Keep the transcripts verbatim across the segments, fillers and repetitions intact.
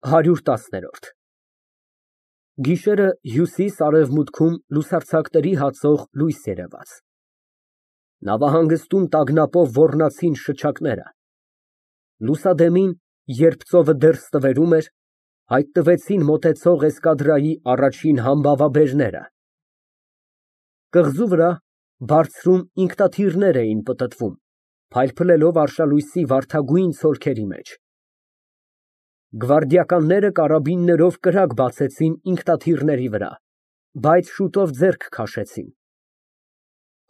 ՀԱՐՅՈՒՐ ՏԱՍՆ Գիշերը, հյուսիս֊արևմուտքում լուսարձակների հացող լույս երևաց, նավահանգստում տագնապով ոռնացին շչակները, լուսադեմին, երբ ծովը դեռ ստվերում էր, հայտնվեցին մոտեցող էսկադրայի առաջին համբավաբերները, կղզու վրա, բարձրում ինքնաթիռներ էին պտտվում, փայլփլելով արշալույսի վարդագույն ցոլքերի մեջ, գվարդիականները կարաբիններով կրակ բացեցին ինքնաթիռների վրա, բայց շուտով ձեռք քաշեցին,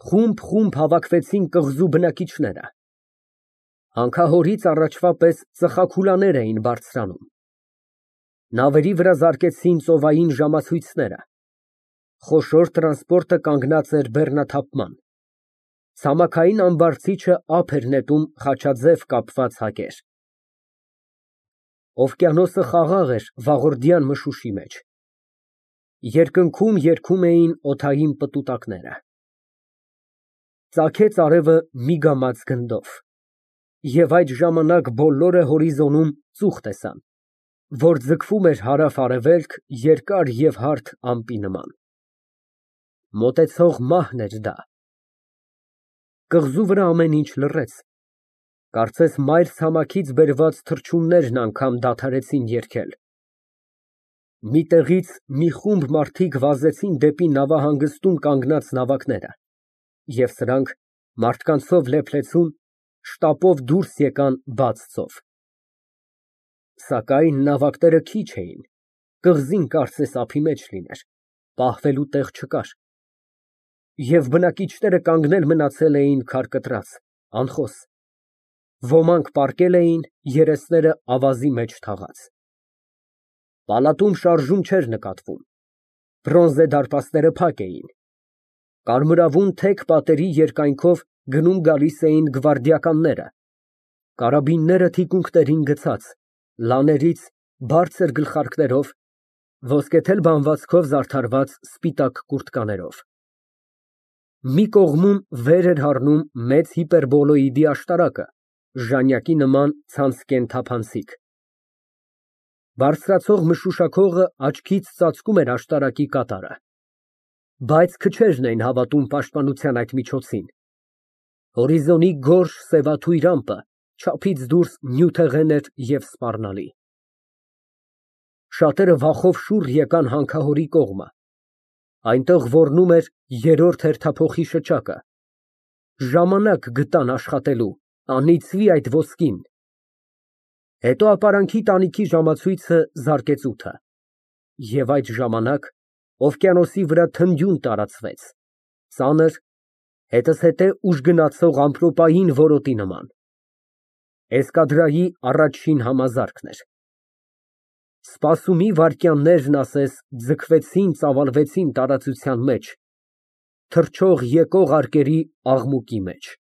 խումբ֊խումբ հավաքվեցին կղզու բնակիչները, հանքահորից առաջվա պես ծխախուլաներ էին բարձրանում, նավերի վրա զարկեցին ծովային ժամացույցները, խոշոր տրանսպորտը կանգնած էր բեռնաթափման, ցամաքային ամբարձիչը ափ էր նետում խաչաձև կապված հակեր, օվկիանոսը խաղաղ էր վաղորդյան մշուշի մեջ, երկնքում երգում էին օդային պտուտակները, ծագեց արևը միգամած գնդով, և այդ ժամանակ բոլորը հորիզոնում ծուխ տեսան, որ ձգվում էր հարավ֊արևելք երկար և հարթ ամպի նման, մոտեցող մահն էր դա, կղզու վրա ամեն ինչ լռեց, կարծես մայր ցամաքից բերված թռչուններն անգամ դադարեցին երգել, մի տեղից մի խումբ մարդիկ վազեցին դեպի նավահանգստում կանգնած նավակները, և սրանք, մարդկանցով լեփլեցուն, շտապով դուրս եկան բաց ծով, սակայն նավակները քիչ էին, կղզին կարծես ափի մեջ լիներ, պահվելու տեղ չկար, և բնակիչները կանգնել մնացել էին քարկտրած, անխոս, ոմանք պառկել էին, երեսները ավազի մեջ թաղած, պալատում շարժում չէր նկատվում, բրոնզե դարպասները փակ էին, կարմրավուն թեք պատերի երկայնքով գնում֊գալիս էին գվարդիականները, կարաբինները թիկունքներին գցած, լաներից բարձր գլխարկներով, ոսկեթել բանվածքով զարդարված սպիտակ կուրտկաներով, մի կողմում վեր էր հառնում մեծ հիպերբոլոիդի աշտարակը, ժանյակի նման ցանցկեն թափանցիկ, բարձրացող մշուշակողը աչքից ծածկում էր աշտարակի կատարը, բայց քչերն էին հավատում պաշտպանության այդ միջոցին, հորիզոնի գորշ սևաթույր ամպը չափից դուրս նյութեղեն էր և սպառնալի, շատերը վախով շուռ եկան հանքահորի կողմը, այնտեղ ոռնում էր երրորդ հերթափոխի շչակը, ժամանակ գտան աշխատելու, անիծվի այդ ոսկին, հետո ապարանքի տանիքի ժամացույցը զարկեց ութը, և այդ ժամանակ օվկիանոսի վրա թնդյուն տարածվեց, ծանր, հետզհետե ուժգնացող ամպրոպային որոտի նման, էսկադրայի առաջին համազարկն էր, սպասումի վայրկյաններն ասես ձգվեցին, ծավալվեցին տարածության մեջ, թռչող եկող արկերի աղմուկի մեջ։